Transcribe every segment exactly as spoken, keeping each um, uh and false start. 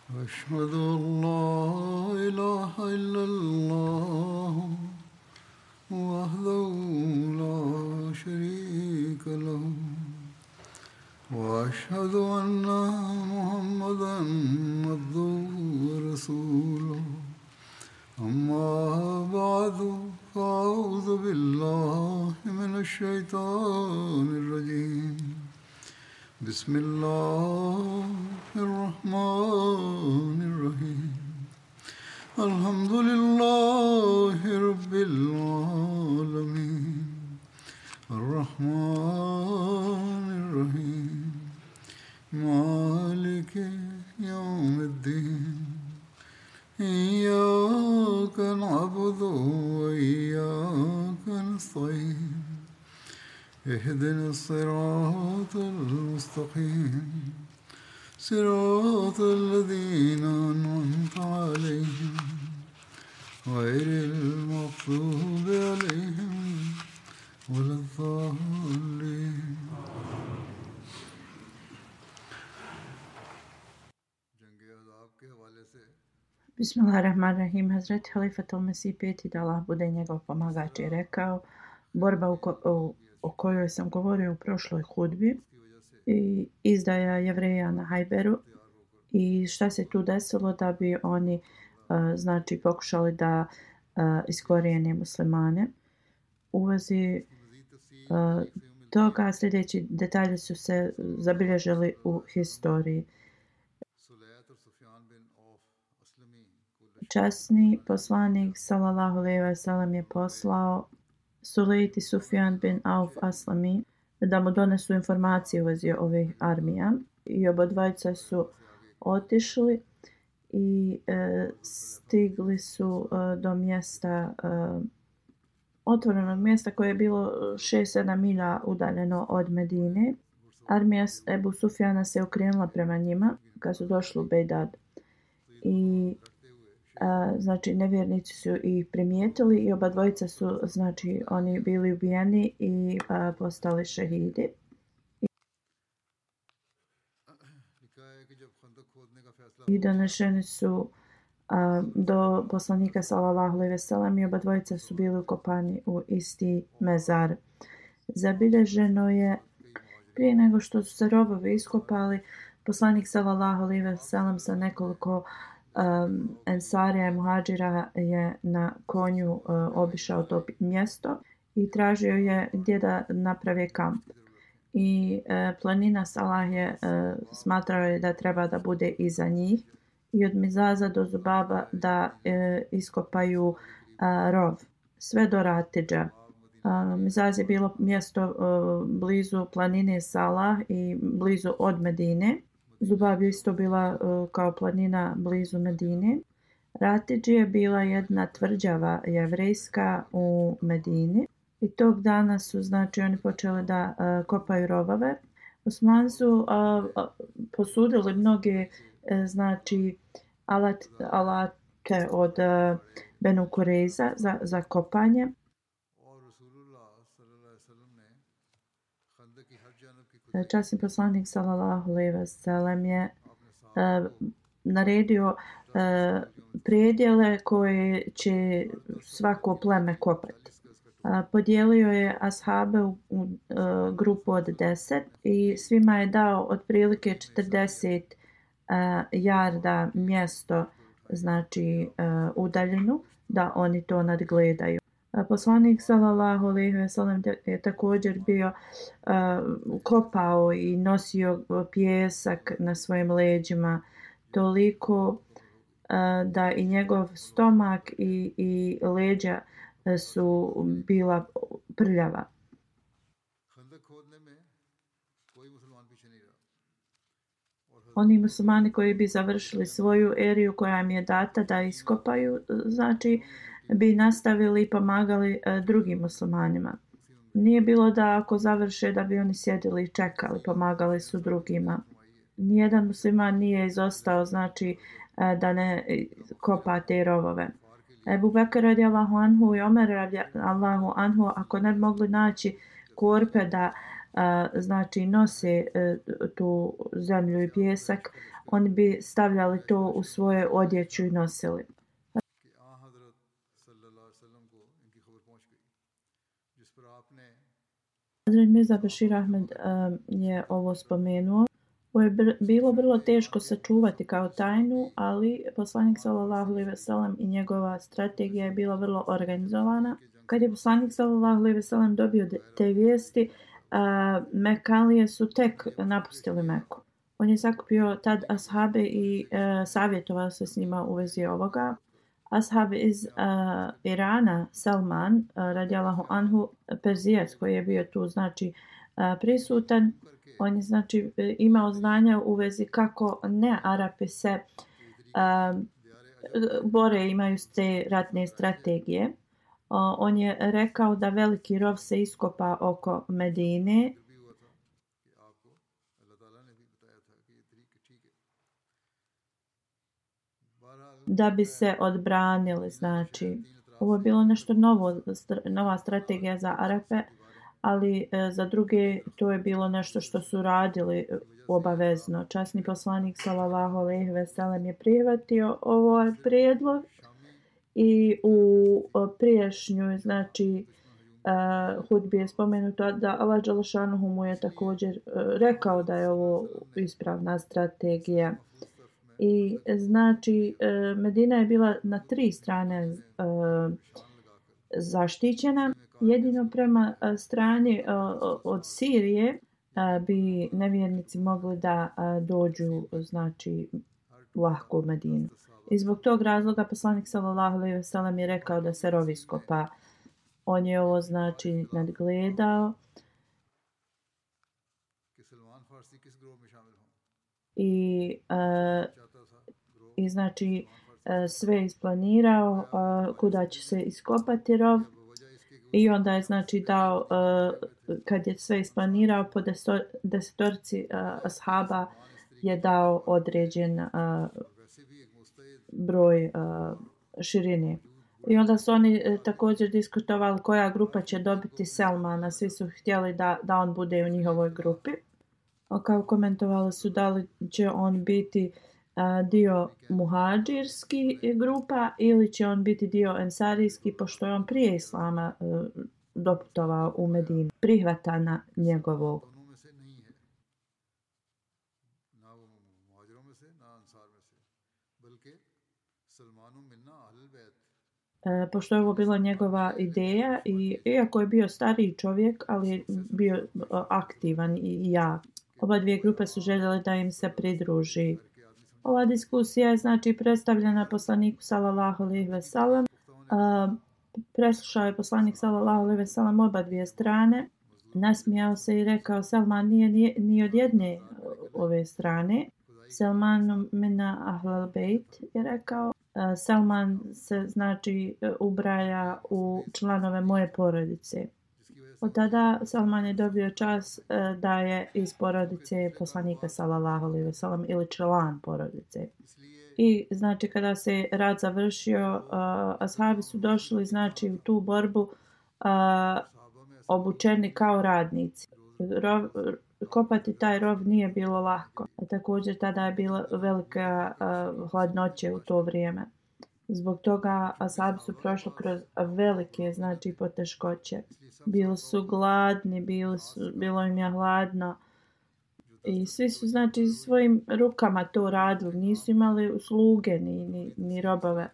أشهد أن لا إله إلا الله وحده لا شريك له وأشهد أن محمدا عبده ورسوله أما بعد فأعوذ بالله من الشيطان الرجيم بسم الله الرحمن الرحيم الحمد لله رب العالمين الرحمن الرحيم مالك يوم الدين إياك نعبد وإياك نستعين اهدنا الصراط المستقيم صراط الذين أنعمت عليهم غير المغضوب عليهم ولا الضالين. Bismillahirrahmanirrahim. Hazreti Halifatul Mesih peti, da Allah bude njegov pomagač, je rekao: borba u, ko, u, o kojoj sam govorio u prošloj hudbi i izdaja Jevreja na Hajberu i šta se tu desilo da bi oni uh, znači pokušali da uh, iskorijene muslimane. U vezi uh, toga sljedeći detalji su se zabilježili u historiji. Časni poslanik sallallahu alejhi ve sellem je poslao Sulejt i Sufjan bin Auf Aslami da mu donesu informacije u vezi ovih armija i obadvojica su otišli i e, stigli su e, do mjesta e, otvorenog mjesta koje je bilo šest sedam milja udaljeno od Medine. Armija Ebu Sufjana se okrenula prema njima kad su došli u Bejdad i a, znači nevjernici su ih primijetili i oba dvojica su znači oni bili ubijeni i a, postali šehidi. I donešeni su a, do poslanika sallallahu alejhi ve sellem i oba dvojica su bili ukopani u isti mezar. Zabilježeno je prije nego što su se robovi iskopali, poslanik sallallahu alejhi ve sellem sa nekoliko um, ensarija i muhadžira je na konju uh, obišao to mjesto i tražio je gdje da napravi kamp. I uh, planina Salah je uh, smatrao je da treba da bude iza njih i od Mizaza do Zubaba da uh, iskopaju uh, rov sve do Ratidža. Uh, Mizaz je bilo mjesto uh, blizu planine Salah i blizu od Medine. Zubab je isto bila uh, kao planina blizu Medine. Ratidž je bila jedna tvrđava jevrejska u Medini i tog dana su znači oni počeli da uh, kopaju rovove. Osmani su uh, uh, posudili mnoge uh, znači alat, alate od uh, Benu Kurejza za, za kopanje. Časni poslanik sallallahu alejhi ve sellem je uh, naredio uh, predjele koje će svako pleme kopati. Uh, podijelio je ashabe u, u uh, grupu od deset i svima je dao otprilike četrdeset uh, jarda mjesto, znači uh, udaljenu, da oni to nadgledaju. Poslanik sallallahu alejhi ve sellem je također bio uh, kopao i nosio pijesak na svojim leđima toliko uh, da i njegov stomak i, i leđa su bila prljava. Oni muslimani koji bi završili svoju eriju koja im je data da iskopaju, znači bi nastavili i pomagali e, drugim muslimanima. Nije bilo da ako završe da bi oni sjedili i čekali, pomagali su drugima. Nijedan musliman nije izostao, znači e, da ne kopa te rovove. Ebu Bekr radijallahu anhu i Omer radijallahu anhu, ako ne bi mogli naći korpe da e, znači nose tu zemlju i pjesak, oni bi stavljali to u svoje odjeću i nosili. Hazret Mirza Bashir Ahmed je ovo spomenuo. Ovo je bilo vrlo teško sačuvati kao tajnu, ali poslanik sallallahu alejhi ve sellem i njegova strategija je bila vrlo organizovana. Kad je poslanik sallallahu alejhi ve sellem dobio te vijesti, Mekalije su tek napustili Meku. On je sakupio tad ashabe i savjetovao se s njima u vezi ovoga. Ashab iz uh, Irana, Salman, uh, radijallahu anhu, Perzijac koji je bio tu znači uh, prisutan, on je znači imao znanja u vezi kako ne Arapi se uh, bore, imaju te ratne strategije. Uh, on je rekao da veliki rov se iskopa oko Medine. Da bi se odbranili, znači ovo je bilo nešto novo, nova strategija za Arape, ali e, za druge to je bilo nešto što su radili obavezno. Časni poslanik sallallahu alejhi ve sellem je prihvatio ovaj prijedlog i u prijašnjoj znači uh, hudbi je spomenuto da Allah dželle šanuhu mu je također uh, rekao da je ovo ispravna strategija. I znači Medina je bila na tri strane uh, zaštićena. Jedino prema strani uh, od Sirije uh, bi nevjernici mogli da uh, dođu znači lahko u Medinu. I zbog tog razloga poslanik sallallahu alejhi ve sellem je rekao da se rov iskopa. On je ovo znači nadgledao. I uh, i znači sve isplanirao kuda će se iskopati rov i onda je znači dao, kad je sve isplanirao, po desetorci ashaba je dao određen broj širine. I onda su oni također diskutovali koja grupa će dobiti Selmana, svi su htjeli da, da on bude u njihovoj grupi. Kao komentovali su da li će on biti dio muhadžirski grupa ili će on biti dio ensarijski, pošto je on prije islama uh, doputovao u Medinu, prihvatana njegovog. E, pošto je ovo bila njegova ideja i iako je bio stariji čovjek, ali je bio uh, aktivan i, i jak. Oba dvije grupe su željeli da im se pridruži. Ova diskusija je znači predstavljena poslaniku sallallahu alejhi ve sellem. Preslušao je poslanik sallallahu alejhi ve sellem oba dvije strane. Nasmijao se i rekao: Selman nije ni, ni od jedne ove strane. Selman mina ahlal bejt je rekao. Selman se znači ubraja u članove moje porodice. Od tada Salman je dobio čast da je iz porodice poslanika sallallahu alejhi ve sellem ili član porodice. I znači kada se rat završio, uh, ashabi su došli znači u tu borbu uh, obučeni kao radnici. Rov, kopati taj rov nije bilo lako. A također tada je bila velika uh, hladnoća u to vrijeme. Zbog toga ashabi su prošli kroz velike znači poteškoće. Bili su gladni, bili su, bilo im je hladno i svi su znači svojim rukama to radili, nisu imali sluge ni, ni, ni robove.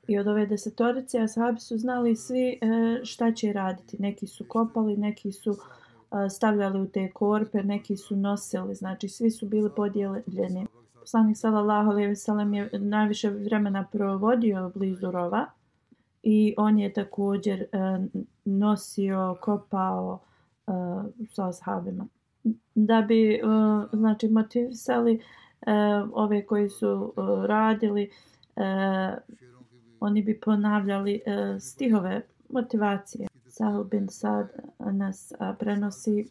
I od ove desetorice ashabi su znali svi šta će raditi. Neki su kopali, neki su stavljali u te korpe, neki su nosili, znači svi su bili podijeljeni. Poslanik sallallahu alejhi ve sellem je najviše vremena provodio blizu rova i on je također nosio, kopao sa ashabima. Da bi znači motivisali ove koji su radili, oni bi ponavljali stihove motivacije. Sahel bin Sad nas prenosi.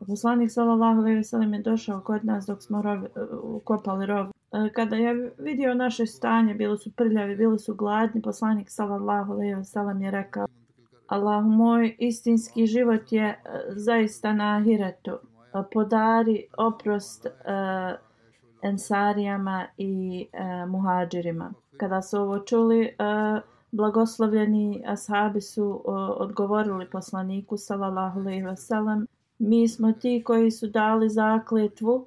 Poslanik sallallahu alejhi ve sellem je došao kod nas dok smo rov, kopali rov kada je vidio naše stanje, bili su prljavi, bili su gladni, poslanik sallallahu alejhi ve sellem je rekao: Allahu moj, istinski život je zaista na ahiretu. Podari oprost uh, ensarijama i uh, muhadžirima. Kada su ovo čuli, uh, blagoslovljeni ashabi su uh, odgovorili poslaniku sallallahu alejhi ve sellem: mi smo ti koji su dali zakletvu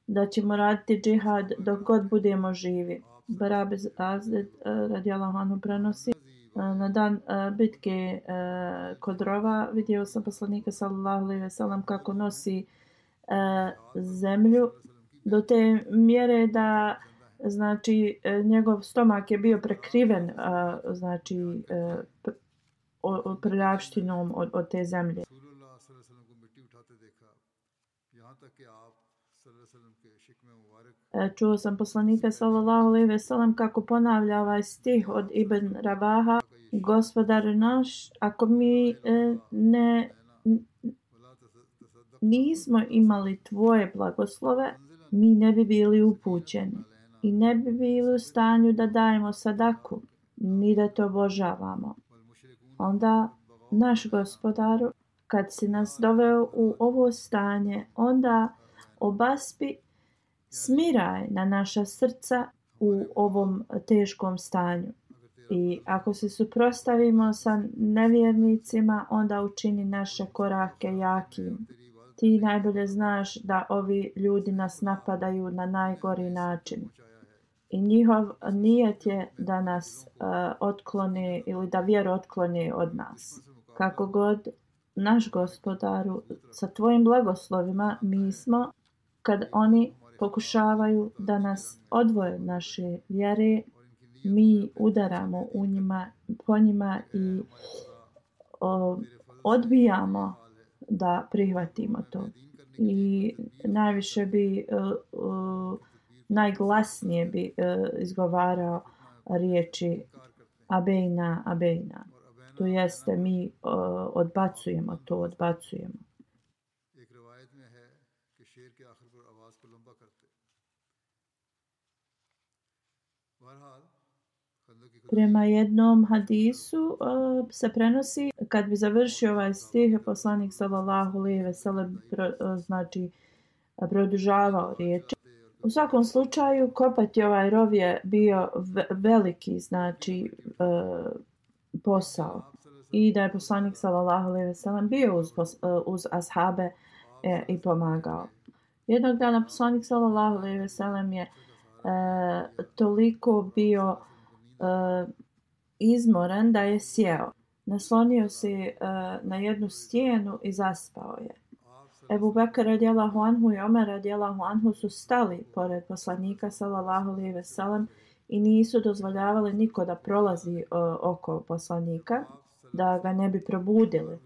da ćemo raditi džihad dok god budemo živi. Bara bin Azib uh, radijallahu anhu prenosi: na dan uh, bitke uh, kod Rova vidio sam poslanika sallallahu alejhi ve sellem kako nosi uh, zemlju do te mjere da znači uh, njegov stomak je bio prekriven uh, znači uh, prljavštinom od, od te zemlje. Čuo sam poslanika sallallahu alejhi ve sellem kako ponavlja ovaj stih od Ibn Rabaha: Gospodar naš, ako mi ne nismo imali tvoje blagoslove, mi ne bi bili upućeni i ne bi bili u stanju da dajemo sadaku, ni da to obožavamo. Onda, naš Gospodaru, kad si nas doveo u ovo stanje, onda obaspi smiraj na naša srca u ovom teškom stanju. I ako se suprotstavimo sa nevjernicima, onda učini naše korake jakim. Ti najbolje znaš da ovi ljudi nas napadaju na najgori način. I njihov nijet je da nas uh, otklone ili da vjeru otklone od nas. Kako god, naš Gospodaru, sa tvojim blagoslovima mi smo, kad oni pokušavaju da nas odvoje od naše vjere, mi udaramo u njima, po njima i o, odbijamo da prihvatimo to. I najviše bi, uh, uh, najglasnije bi uh, izgovarao riječi abejna, abejna. To jeste mi uh, odbacujemo to, odbacujemo. Prema jednom hadisu uh, se prenosi, kad bi završio ovaj stih, poslanik sallallahu alejhi ve sellem pro, uh, znači produžavao riječi. U svakom slučaju, kopati ovaj rov je bio ve- veliki znači uh, posao. I da je poslanik sallallahu alejhi ve sellem bio uz, uh, uz ashabe e, i pomagao. Jednog dana poslanik sallallahu alejhi ve sellem je uh, toliko bio Uh, izmoran da je sjeo. Naslonio se uh, na jednu stijenu i zaspao je. Ebu Bekr radijallahu anhu i Omer radijallahu anhu su stali pored poslanika sallallahu alejhi ve sellem i nisu dozvoljavali niko da prolazi uh, oko poslanika, da ga ne bi probudili.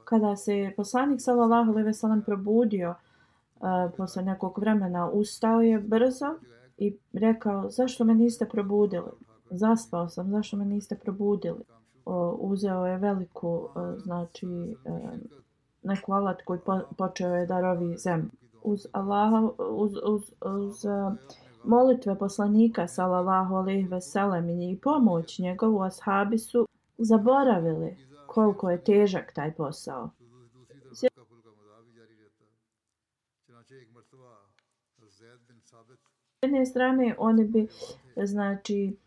Kada se poslanik sallallahu alejhi ve sellem probudio uh, posle nekog vremena, ustao je brzo i rekao: zašto me niste probudili? Zaspao sam, zašto me niste probudili? O, uzeo je veliku, o, znači, e, neku alatku i po, počeo je da rovi zemlju. Uz Allaha, uz, uz, uz uh, molitve poslanika sallallahu alejhi ve sellem i pomoć njegovu, ashabi su zaboravili koliko je težak taj posao. S jedne strane oni bi, znači,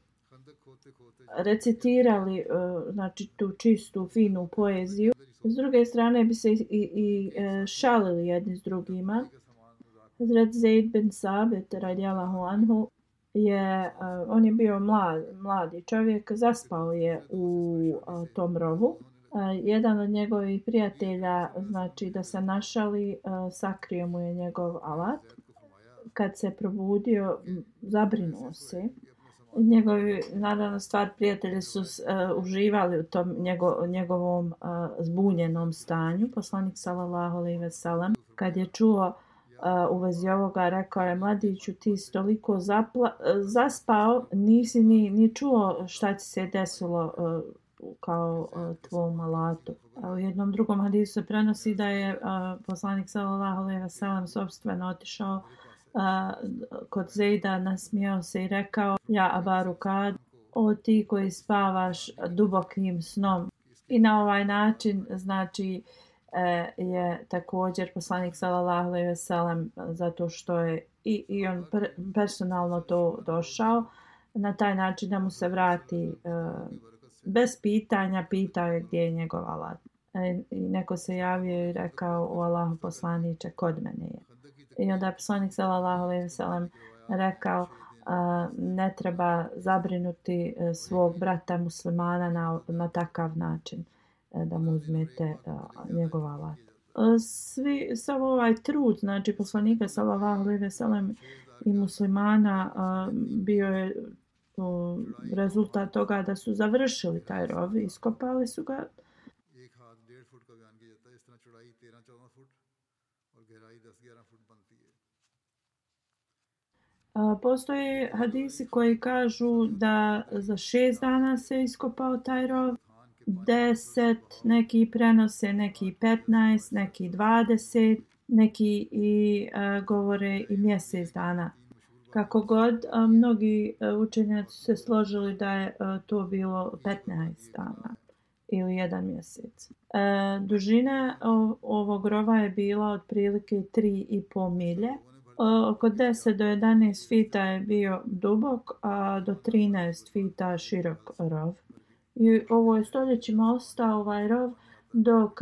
recitirali znači tu čistu finu poeziju, s druge strane bi se i, i šalili jedni s drugima. Hazret Zaid bin Sabit radijallahu anhu je on je bio mlad, mladi čovjek, zaspao je u tom rovu. Jedan od njegovih prijatelja, znači da se našali, sakrio mu je njegov alat. Kad se probudio, zabrinuo se. Njegovi, naravno, stvar prijatelji su uh, uživali u tom njego, njegovom uh, zbunjenom stanju. Poslanik sallallahu alejhi ve sellem, kad je čuo uh, u vezi ovoga, rekao je: mladiću, ti si toliko zapla- zaspao, nisi ni, ni čuo šta ti se desilo uh, kao uh, tvom alatu. A u jednom drugom hadisu se prenosi da je uh, poslanik sallallahu alejhi ve sellem sopstveno otišao a, kod Zejda nasmijao se i rekao: ja Abaru kad, o ti koji spavaš dubokim snom. I na ovaj način znači e, je također poslanik sallallahu alejhi ve sellem, zato što je i, i on per, personalno to došao na taj način da mu se vrati e, bez pitanja, pitao je gdje je njegov alat. E, I neko se javio i rekao: o Allahu poslaniče, kod mene je. I onda je poslanik sallallahu alejhi ve sellem rekao: a, ne treba zabrinuti svog brata muslimana na, na takav način da mu uzmete a, njegov alat. Svi, sav ovaj trud, znači poslanika sallallahu alejhi ve sellem i muslimana a, bio je o, rezultat toga da su završili taj rov, iskopali su ga. Postoje hadisi koji kažu da za šest dana se iskopao taj rov, deset, neki prenose, neki petnaest, neki dvadeset, neki i a, govore i mjesec dana. Kako god, a, mnogi a, učenjaci su se složili da je a, to bilo petnaest dana ili jedan mjesec. E, dužina o, ovog rova je bila otprilike tri i pol milje. Oko deset do jedanaest fita je bio dubok, a do trinaest fita širok rov. I ovo je stoljećima ostao ovaj rov dok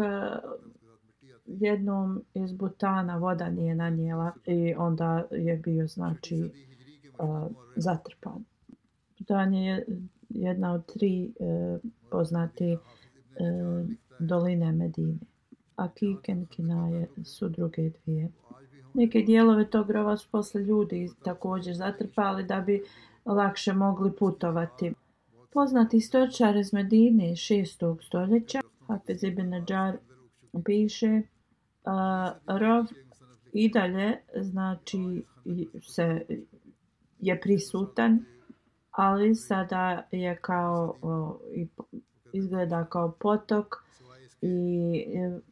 jednom iz Butana voda nije nanijela i onda je bio znači uh, zatrpan. Butan je jedna od tri uh, poznate uh, doline Medine, a Kiken, Kinaje su druge dvije. Neke dijelove tog rova su posle ljudi također zatrpali da bi lakše mogli putovati. Poznati stočar iz Medine šestog stoljeća, Hafiz ibn Nadžar, piše uh, rov i dalje znači se je prisutan, ali sada je kao uh, izgleda kao potok i uh,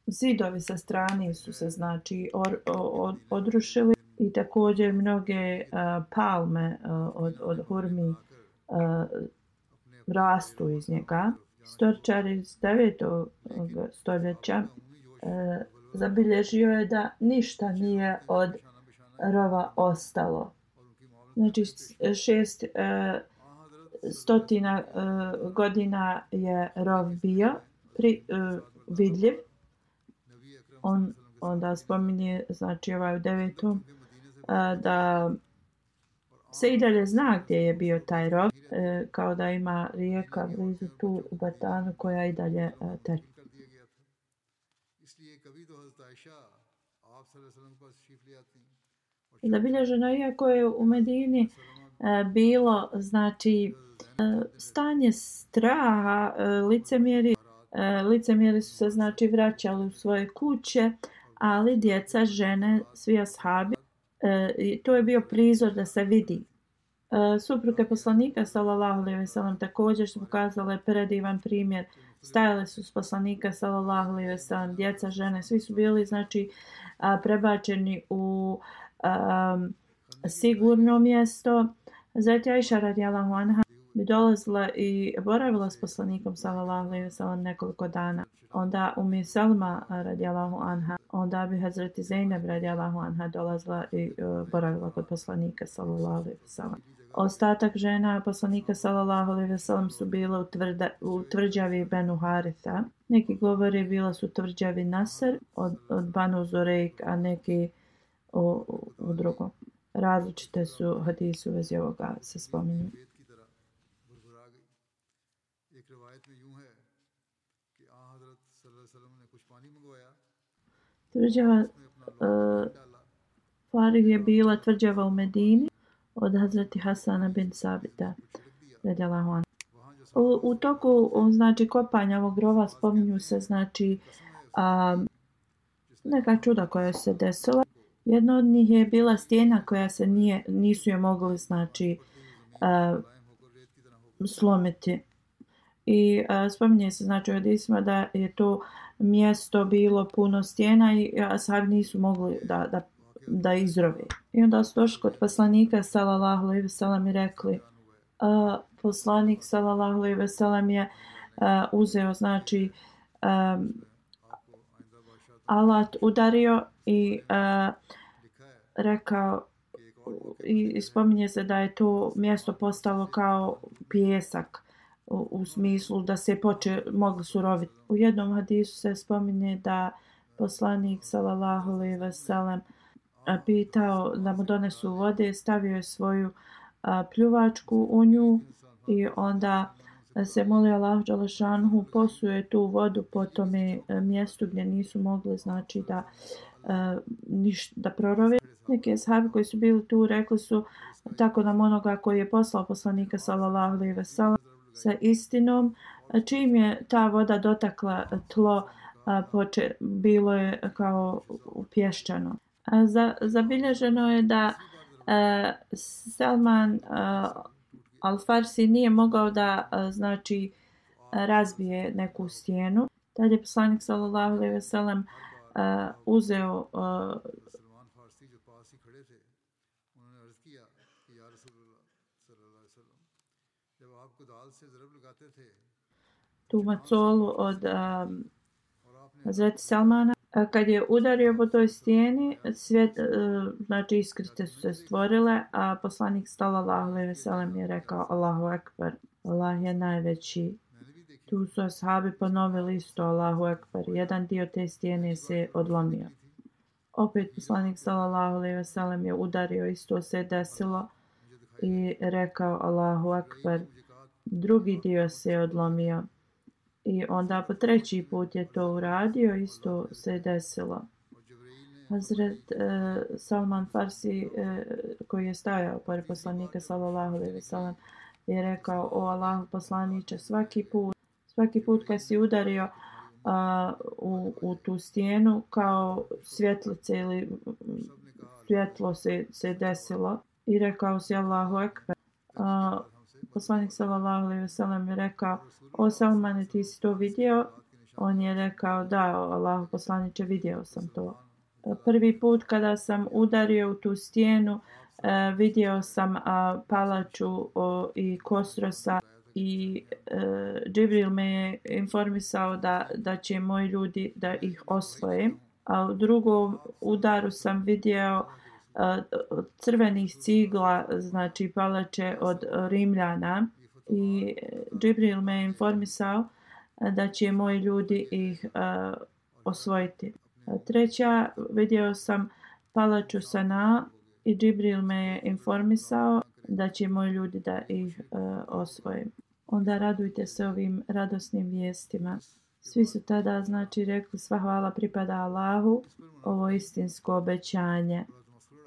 zidovi sa strane su se znači or, od, odrušili i također mnoge uh, palme uh, od, od hurmi uh, rastu iz njega. Stočar iz devetog stoljeća uh, zabilježio je da ništa nije od rova ostalo. Znači šest uh, stotina uh, godina je rov bio pri, uh, vidljiv. On onda spominje, znači ovaj u devetom, da se i dalje zna gdje je bio taj rov, kao da ima rijeka blizu tu u Batanu koja i dalje teče. Zabilježeno, iako je u Medini bilo znači stanje straha, licemjeri licemjeri su se znači vraćali u svoje kuće, ali djeca, žene, svi ashabi, e, to je bio prizor da se vidi. E, supruge poslanika sallallahu alejhi ve sellem također su pokazale predivan primjer. Stajale su s poslanika sallallahu alejhi ve sellem, djeca, žene, svi su bili znači a, prebačeni u a, sigurno mjesto. Zatim Ajša radijallahu anha bi dolazila i boravila s poslanikom sallallahu alejhi ve sellem nekoliko dana. Onda Ummi Salma radijallahu anha, onda bi Hazreti Zeynep radijallahu anha dolazila i uh, boravila kod poslanika sallallahu alejhi ve sellem. Ostatak žena poslanika sallallahu alejhi ve sellem su bile u, tvrda, u tvrđavi Benu Haritha. Neki govori bila su tvrđavi Nasr od, od Banu Zorejk, a neki u, u, u drugom. Različite su hadisi u vezi ovoga se spominju. Tvrđava uh, Farih je bila tvrđava u Medini od Hazreti Hasana bin Sabita. U, u toku znači kopanja ovog rova spominju se znači um, neka čuda koja se desila. Jedna od njih je bila stijena koja se nije, nisu je mogli znači uh, slomiti. I a, spominje se znači u hadisima da je to mjesto bilo puno stijena i ashabi nisu mogli da, da, da izrove. I onda su došli kod poslanika sallallahu alejhi ve sellem i rekli a, poslanik sallallahu alejhi ve sellem je a, uzeo znači a, alat udario i a, rekao i, i spominje se da je to mjesto postalo kao pijesak u, u smislu da se poče mogli suroviti. U jednom hadisu se spominje da poslanik sallallahu alejhi ve sellem pitao da mu donesu vode, stavio je svoju a, pljuvačku u nju i onda se molio Allahu dželle šanuhu posuje tu vodu po tome mjestu gdje nisu mogli znači da a, niš, da prorove. Neki ashabi koji su bili tu rekli su tako nam onoga koji je poslao poslanika sallallahu alejhi ve sellem sa istinom, čim je ta voda dotakla tlo, a, poče, bilo je kao pješčano. A, za, zabilježeno je da a, Salman a, Al-Farsi nije mogao da a, znači razbije neku stijenu. Tad je poslanik sallallahu alejhi ve sellem uzeo a, tu macolu od um, Hazreti Salmana. A kad je udario po toj stijeni, svijet, uh, znači iskrice su se stvorile, a poslanik sallallahu alejhi ve sellem je rekao Allahu ekber, Allah je najveći. Tu su ashabi ponovili isto Allahu ekber. Jedan dio te stijene se odlomio. Opet poslanik sallallahu alejhi ve sellem je udario, isto se desilo i rekao Allahu ekber. Drugi dio se odlomio. I onda po treći put je to uradio, isto se desilo. Hazret eh, Salman Farsi eh, koji je stajao pored poslanika sallallahu alejhi ve sellem je rekao o Allahu poslaniče, svaki put svaki put kad si udario uh, u, u tu stijenu kao svjetlice ili svjetlo se, se desilo i rekao si Allahu ekber. Uh, poslanik sallallahu alejhi ve sellem je rekao o Salmane ti si to vidio? On je rekao da Allahu poslaniče vidio sam to. Prvi put kada sam udario u tu stijenu uh, vidio sam uh, palaču uh, i Kosrosa i uh, Džibril me je informisao da, da će moji ljudi da ih osvoje. A u drugom udaru sam vidio uh, crvenih cigla, znači palače od Rimljana i Džibril me je informisao uh, da će moji ljudi ih uh, osvojiti. Uh, treća vidio sam palaču Sana i Džibril me je informisao da će moji ljudi da ih uh, osvoje. Onda radujte se ovim radosnim vijestima. Svi su tada znači rekli sva hvala pripada Allahu, ovo istinsko obećanje.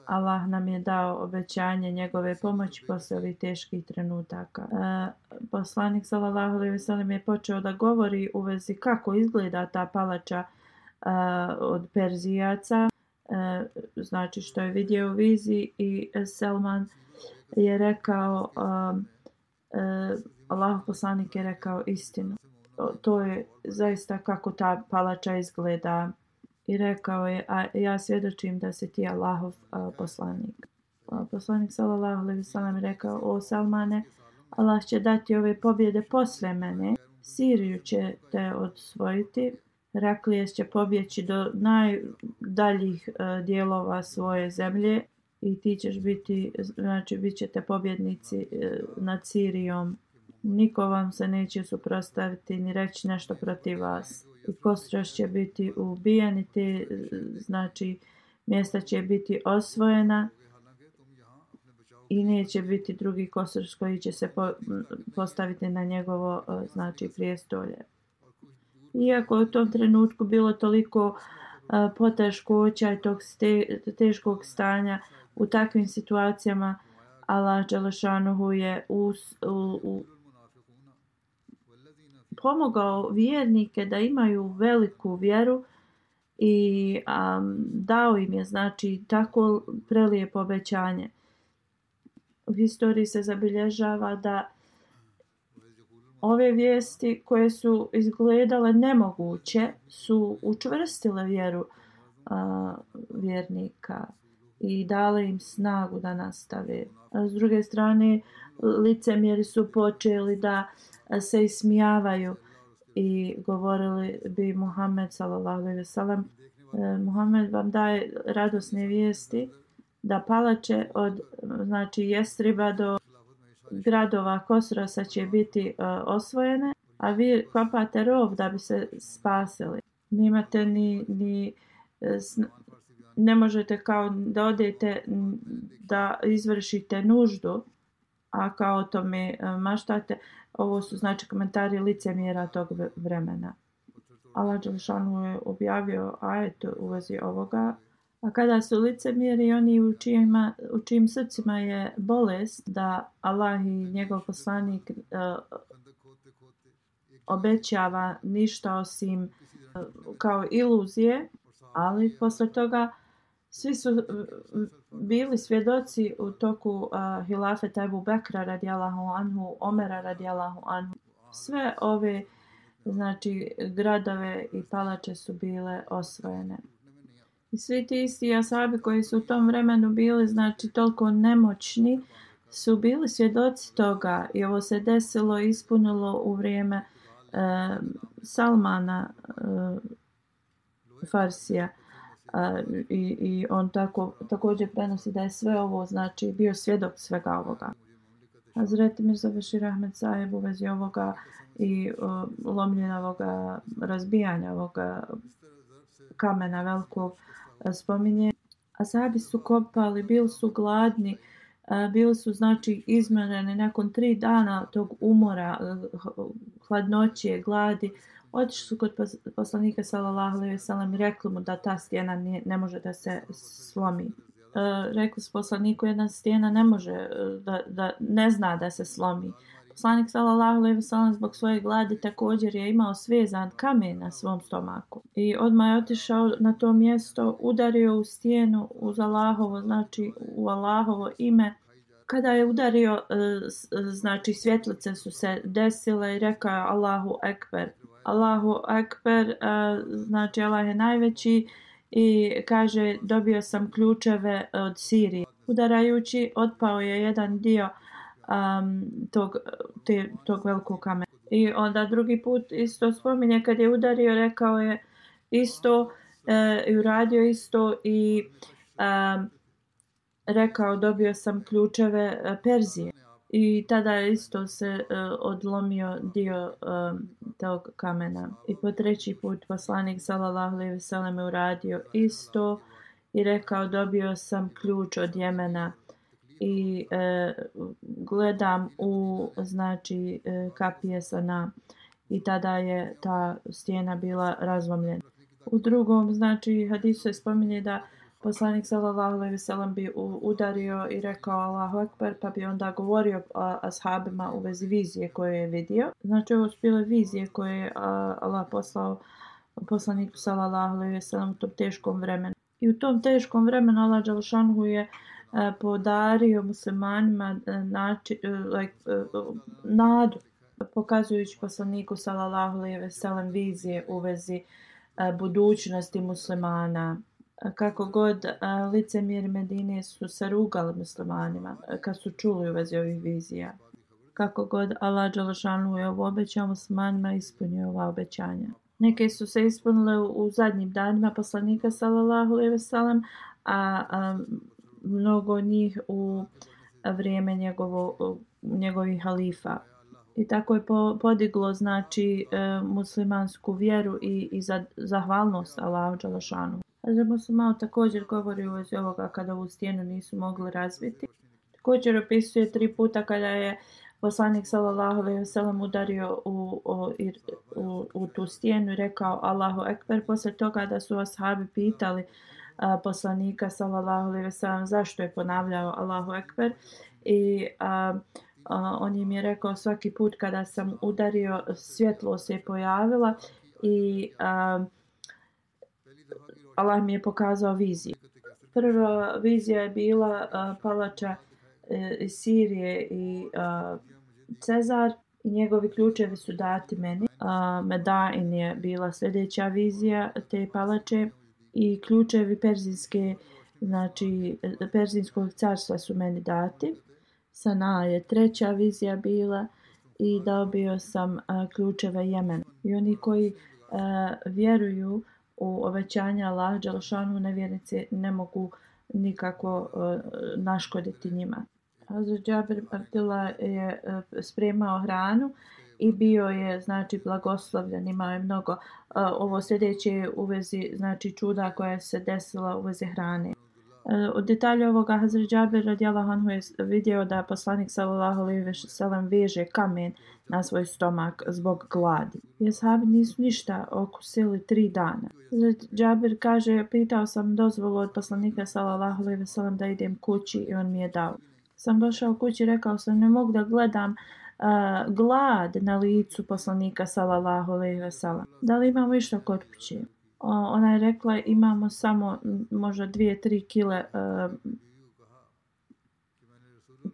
Allah nam je dao obećanje njegove pomoći posle ovih teških trenutaka. E, poslanik sallallahu alejhi ve sellem je počeo da govori u vezi kako izgleda ta palača e, od Perzijaca, e, znači što je vidio u viziji i Salman je rekao e, e, Allah poslanik je rekao istinu. To je zaista kako ta palača izgleda. I rekao je, a ja svjedočim da si ti Allahov a, poslanik. A, poslanik sallallahu alejhi ve sellem rekao, o Salmane, Allah će dati ove pobjede posle mene. Siriju će te osvojiti. Heraklijes će pobjeći do najdaljih a, dijelova svoje zemlje i ti ćeš biti, znači bit ćete pobjednici a, nad Sirijom. Niko vam se neće suprotstaviti ni reći nešto protiv vas. I Kosraš će biti ubijen i te, znači, mjesta će biti osvojena i neće biti drugi Kosraš koji će se po, postaviti na njegovo, znači, prijestolje. Iako je u tom trenutku bilo toliko uh, poteškoća i tog ste, teškog stanja, u takvim situacijama Allah dželle šanuhu je u, u, u pomogao vjernike da imaju veliku vjeru i um, dao im je znači tako prelijepo obećanje. U historiji se zabilježava da ove vijesti koje su izgledale nemoguće su učvrstile vjeru a, vjernika i dale im snagu da nastave. A s druge strane, licemjeri su počeli da se ismijavaju i govorili bi Muhammed sallallahu alejhi ve sellem, Muhammed vam daje radosne vijesti da palače od znači Jestriba do gradova Kosrosa će biti uh, osvojene, a vi kopate rov da bi se spasili. Nimate ni, ni ne možete kao da odete da izvršite nuždu, a kao o tome uh, maštate. Ovo su znači komentari licemjera tog vremena. Allah dželešanu je objavio ajet u vezi ovoga. A kada su licemjeri oni u čijima, u čijim srcima je bolest da Allah i njegov poslanik uh, obećava ništa osim uh, kao iluzije, ali posle toga svi su uh, bili svjedoci u toku uh, hilafeta Ebu Bekra radijallahu anhu, Omera radijallahu anhu. Sve ove znači gradove i palače su bile osvojene. I svi ti isti ashabi koji su u tom vremenu bili znači toliko nemoćni su bili svjedoci toga i ovo se desilo i ispunilo u vrijeme e, Salmana e, Farsija e, i, i on tako, također prenosi da je sve ovo znači bio svjedok svega ovoga. Hazreti Mirza Bešir Ahmed Sahib u vezi ovoga i o, lomljenja ovoga razbijanja ovoga kamena velikog spominje. Ashabi su kopali, bili su gladni, bili su znači izmoreni nakon tri dana tog umora, hladnoće, gladi. Otišli su kod poslanika sallallahu alejhi ve sellem i rekli mu da ta stijena ne, ne može da se slomi. Rekli su poslaniku jedna stijena ne može da, da ne zna da se slomi. Poslanik sallallahu alejhi ve sellem zbog svoje gladi također je imao svezan kamen na svom stomaku. I odmah je otišao na to mjesto, udario u stijenu uz Allahovo, znači u Allahovo ime. Kada je udario, znači svjetlice su se desile i rekao je Allahu Ekber. Allahu Ekber, znači Allah je najveći i kaže dobio sam ključeve od Sirije. Udarajući otpao je jedan dio Um, tog, te, tog velikog kamena. I onda drugi put isto spominje kad je udario, rekao je isto e, i uradio isto i e, rekao dobio sam ključeve e, Perzije. I tada je isto se e, odlomio dio e, tog kamena. I po treći put poslanik sallallahu alejhi ve sellem je uradio isto i rekao dobio sam ključ od Jemena. I e, gledam u znači e, kapije Sana i tada je ta stijena bila razlomljena. U drugom znači hadisu se spominje da poslanik sallallahu alejhi ve sellem bi udario i rekao Allahu Ekber, pa bi onda govorio ashabima u vezi vizije koje je vidio. Znači ovo su bile vizije koje je Allah poslao poslaniku sallallahu alejhi ve sellem u tom teškom vremenu. I u tom teškom vremenu Allah dželešanu je podario muslimanima nači, like, nadu, pokazujući poslaniku sallallahu alejhi ve sellem vizije u vezi budućnosti muslimana. Kako god licemjeri Medine su se rugali muslimanima kad su čuli u vezi ovih vizija. Kako god Allah dželešanu je ovo obećao muslimanima, ispunio ova obećanja. Neke su se ispunile u, u zadnjim danima poslanika sallallahu alejhi ve sellem, a, a mnogo njih u vrijeme njegovo, njegovih halifa. I tako je po, podiglo znači e, muslimansku vjeru i, i za, zahvalnost Allahu dželešanu. Hazret Muslimao također govori u vezi ovoga kada ovu stijenu nisu mogli razbiti. Također opisuje tri puta kada je poslanik sallallahu alejhi ve sellem udario u, u, u, u tu stijenu i rekao Allahu Ekber. Posle toga da su ashabi pitali a, poslanika sallallahu alejhi ve sellem zašto je ponavljao Allahu Ekber i a, a, on im je rekao svaki put kada sam udario svjetlo se je pojavila i a, Allah mi je pokazao viziju. Prva vizija je bila a, palača iz Sirije i uh, Cezar i njegovi ključevi su dati meni. A, Medain je bila sljedeća vizija te palače i ključevi perzijske, znači perzijskog carstva su meni dati. Sana je treća vizija bila i dobio sam a, ključeve Jemena. I oni koji a, vjeruju u obećanja Allaha dželešanu, nevjernici ne mogu nikako a, naškoditi njima. Hazrat Džabir Abdullah je a, spremao hranu i bio je znači blagoslovljen, imao je mnogo. A, ovo sljedeće u vezi znači čuda koja se desila u vezi hrane. Od detalja ovoga Hazrat Džabir radijallahu anhu je vidio da poslanik sallallahu alejhi ve sellem veže kamen na svoj stomak zbog gladi. I ashabi nisu ništa okusili tri dana. Hazrat Džabir kaže, pitao sam dozvolu od poslanika sallallahu alejhi ve sellem da idem kući i on mi je dao. Sam došao kući, rekao sam ne mogu da gledam uh, glad na licu poslanika sallallahu alejhi ve sellem. Da li imamo išta kod kuće? Ona je rekla imamo samo možda dvije, tri kile uh,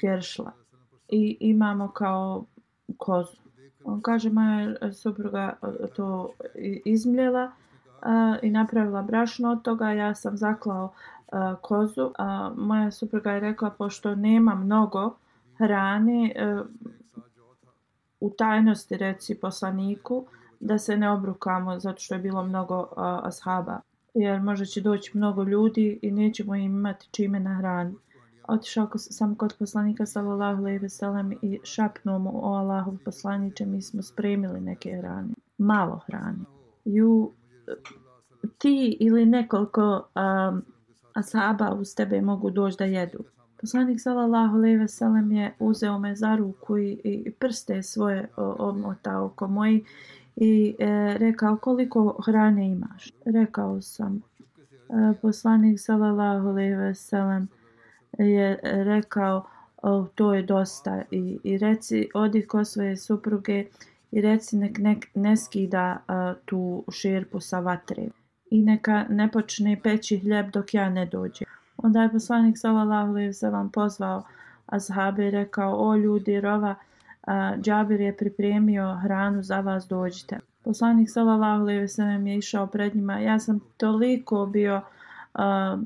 geršla i imamo kao kozu. On kaže moja supruga to izmljela uh, i napravila brašno od toga. Ja sam zaklao uh, kozu. Uh, moja supruga je rekla pošto nema mnogo hrane uh, u tajnosti reci poslaniku da se ne obrukamo zato što je bilo mnogo uh, ashaba. Jer možda će doći mnogo ljudi i nećemo im imati čime na hranu. Otišao sam kod poslanika sallallahu alejhi ve sellem i šapnuo mu o Allahov poslaniče, mi smo spremili neke hrane. Malo hrane. Ju, ti ili nekoliko um, ashaba uz tebe mogu doći da jedu. Poslanik sallallahu alejhi ve sellem je uzeo me za ruku i, i prste svoje omotao oko moji i e, rekao koliko hrane imaš. Rekao sam. E, poslanik sallallahu alejhi ve sellem je rekao o, to je dosta i, i reci odi kod svoje supruge i reci nek, nek ne skida a, tu šerpu sa vatre i neka ne počne peći hljeb dok ja ne dođem. Onda je poslanik sallallahu alejhi ve sellem pozvao ashabe i rekao o ljudi rova a, Džabir je pripremio hranu za vas, dođite. Poslanik sallallahu alejhi ve sellem je išao pred njima. Ja sam toliko bio a,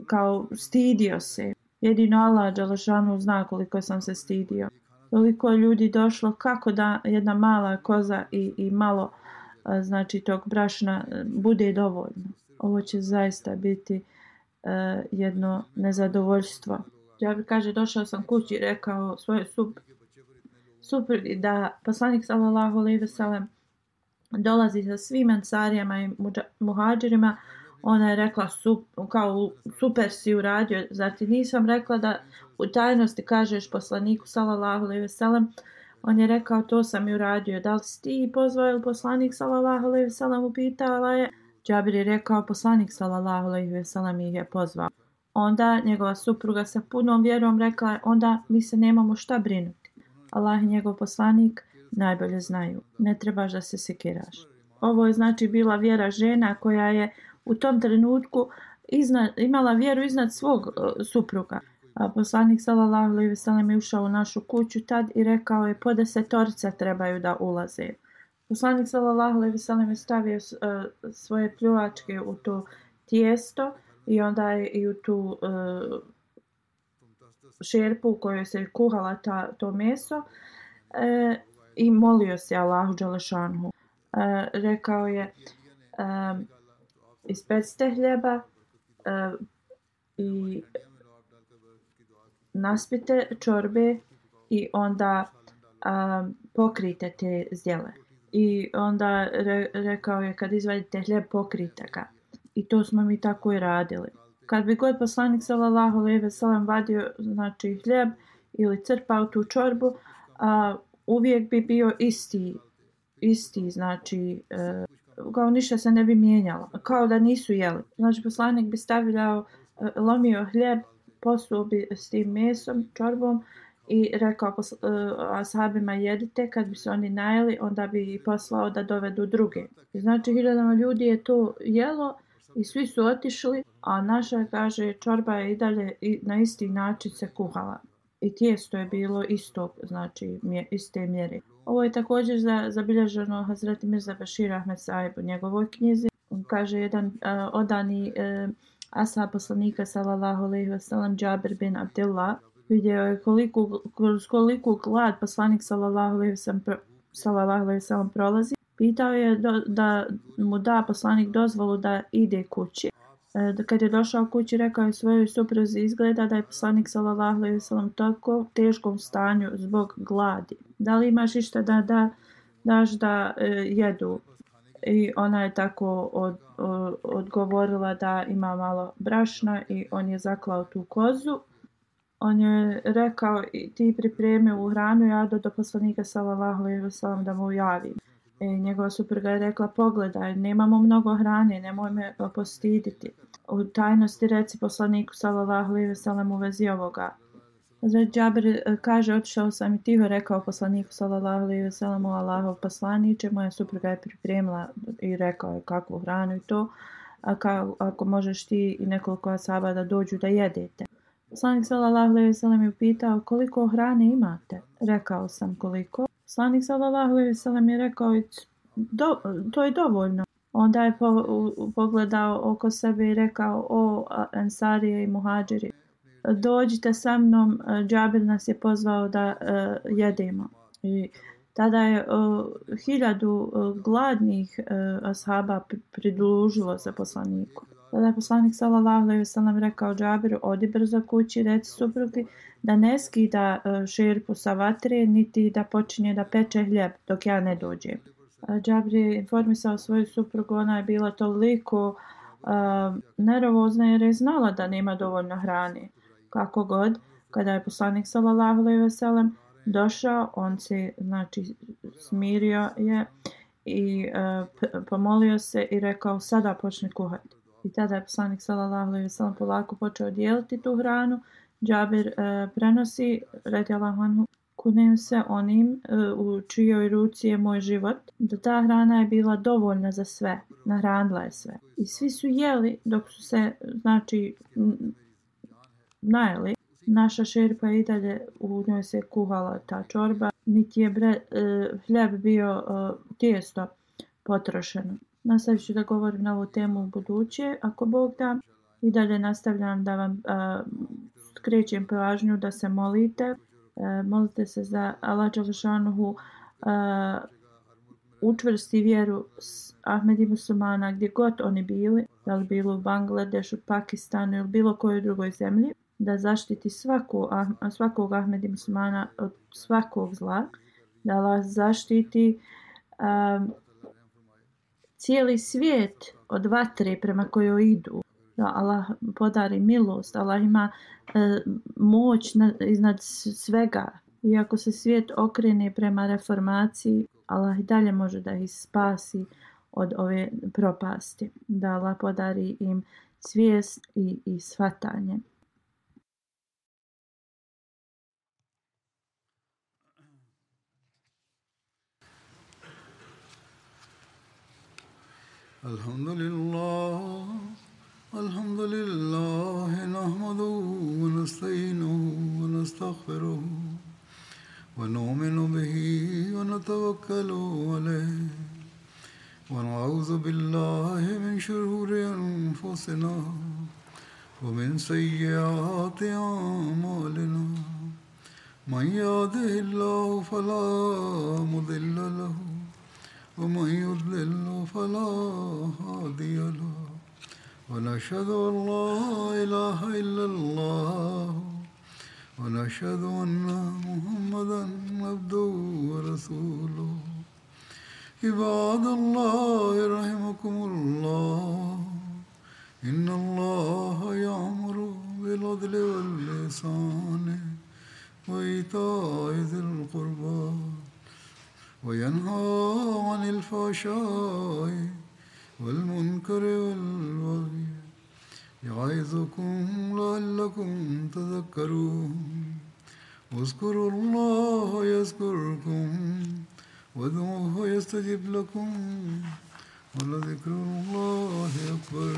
kao stidio se. Jedino Allah dželešanu zna koliko sam se stidio. Toliko ljudi došlo kako da jedna mala koza i, i malo a, znači tog brašna bude dovoljno. Ovo će zaista biti a, jedno nezadovoljstvo. Džabir kaže došao sam kući i rekao svojoj suprugi da poslanik sallallahu alejhi ve sellem dolazi sa svim ansarijama i muhadžirima. Ona je rekla sup, kao super si uradio, zar ti nisam rekla da u tajnosti kažeš poslaniku sallallahu alejhi ve sellem. On je rekao to sam i uradio. Da li si ti pozvao ili poslanik sallallahu alejhi ve sellem, upitala je. Džabir je rekao poslanik sallallahu alejhi ve sellem ih je pozvao. Onda njegova supruga sa punom vjerom rekla je onda mi se nemamo šta brinuti. Allah i njegov poslanik najbolje znaju. Ne trebaš da se sekiraš. Ovo je znači bila vjera žena koja je u tom trenutku iznad, imala vjeru iznad svog uh, supruga. A poslanik sallallahu alejhi ve sellem je ušao u našu kuću tad i rekao je po desetorica trebaju da ulaze. Poslanik sallallahu alejhi ve sellem je stavio uh, svoje pljuvačke u to tijesto i onda je i u tu uh, šerpu u kojoj se kuhala ta, to meso e, i molio se Allahu dželešanhu. E, rekao je e, ispecite hljeba e, i naspite čorbe i onda a, pokrite te zdjele. I onda re, rekao je kad izvadite hljeb pokrite ga. I to smo mi tako i radili. Kad bi god poslanik sallallahu alejhi ve sellem vadio znači hljeb ili crpao tu čorbu, a, uvijek bi bio isti isti znači e, kao ništa se ne bi mijenjalo, kao da nisu jeli. Znači poslanik bi stavljao, e, lomio hljeb, posuo bi s tim mesom, čorbom i rekao pos, e, ashabima jedite, kad bi se oni najeli, onda bi ih poslao da dovedu druge. I znači hiljadama ljudi je to jelo i svi su otišli, a naša, kaže, čorba je i dalje na isti način se kuhala. I tijesto je bilo isto, znači mje, iste mjere. Ovo je također za, zabilježeno Hazreti Mirza Bashir Ahmed Sahib u njegovoj knjizi. On kaže jedan uh, odani uh, ashab poslanika sallallahu alejhi ve sellem Džabir bin Abdullah vidio je koliko kroz koliko glad poslanik sallallahu alejhi ve sellem sallallahu alejhi ve sellem prolazi. Pitao je do, da mu da poslanik dozvolu da ide kući. E, kad je došao kući, rekao je svojoj supruzi, izgleda da je poslanik sallallahu alejhi ve sellem tako teškom stanju zbog gladi. Da li imaš išta da, da daš da e, jedu? I ona je tako od, od, odgovorila da ima malo brašna i on je zaklao tu kozu. On je rekao, ti pripremi u hranu, ja do, do poslanika sallallahu alejhi ve sellem da mu javim. I njegova supruga je rekla, pogledaj, nemamo mnogo hrane, nemoj me postiditi. U tajnosti reci poslaniku sallallahu alejhi ve sellem u vezi ovoga. Hazret Džabir kaže, otišao sam i tiho rekao poslaniku sallallahu alejhi ve sellem, Allahov poslaniče, moja supruga je pripremila i rekao je kakvu hranu i to, a ka, ako možeš ti i nekoliko ashaba da dođu da jedete. Poslanik sallallahu alejhi ve sellem je pitao, koliko hrane imate? Rekao sam koliko. Poslanik sallallahu alejhi ve sellem je rekao, do, to je dovoljno. Onda je po, u, pogledao oko sebe i rekao, o Ensarije i Muhadžiri, dođite sa mnom, Džabir nas je pozvao da uh, jedemo. I tada je uh, hiljadu uh, gladnih uh, ashaba pridružilo se poslaniku. Tada je poslanik sallallahu alejhi ve sellem rekao Džabiru, odi brzo kući, reci suprugi da ne skida uh, šerpu sa vatre, niti da počinje da peče hljeb dok ja ne dođem. Uh, Džabir je informisao svoju suprugu, ona je bila toliko uh, nervozna jer je znala da nema dovoljno hrane. Kako god, kada je poslanik sallallahu alejhi ve sellem došao, on se znači smirio je i uh, pomolio se i rekao sada počne kuhati. I tada je poslanik sallallahu alejhi ve sellem polako počeo dijeliti tu hranu. Džabir uh, prenosi, radijallahu anhu, kunem se onim uh, u čijoj ruci je moj život, da ta hrana je bila dovoljna za sve, nahranila je sve. I svi su jeli dok su se, znači, najeli. Naša šerpa i dalje u njoj se kuhala ta čorba, niti je bre, uh, hljeb bio uh, tijesto potrošeno. Nastavit ću da govorim na ovu temu u buduće, ako Bog da. I dalje nastavljam da vam uh, skrećem pažnju da se molite. Uh, molite se za Allah dželešanuhu uh, učvrsti vjeru Ahmedi muslimana gdje god oni bili, da li bilo u Bangladešu, Pakistanu ili bilo kojoj drugoj zemlji, da zaštiti svaku, svakog Ahmedi muslimana od svakog zla, da Allah zaštiti um, cijeli svijet od vatre prema kojoj idu, da Allah podari milost, Allah ima uh, moć na, iznad svega. Iako se svijet okrene prema reformaciji, Allah i dalje može da ih spasi od ove propasti, da Allah podari im svijest i, i shvatanje. Alhamdulillah, alhamdulillah, nahmaduhu wa nasta'inuhu wa nastaghfiruhu wa nu'minu bihi wa natawakkalu alayhi wa na'udhu billahi min shururi anfusina wa min sayyiati a'malina. Man yahdihillahu fala mudilla lahu ومن يضلل فلا هادي له ونشهد أن لا إله إلا الله ونشهد أن محمدا عبده ورسوله عباد الله رحمكم الله إن الله يأمر بالعدل والإحسان وإيتاء ذي القربى وينهى عن الفحشاء والمنكر والبغي يعظكم لعلكم تذكرون واذكروا الله يذكركم وادعوه يستجب لكم ولذكر الله أكبر.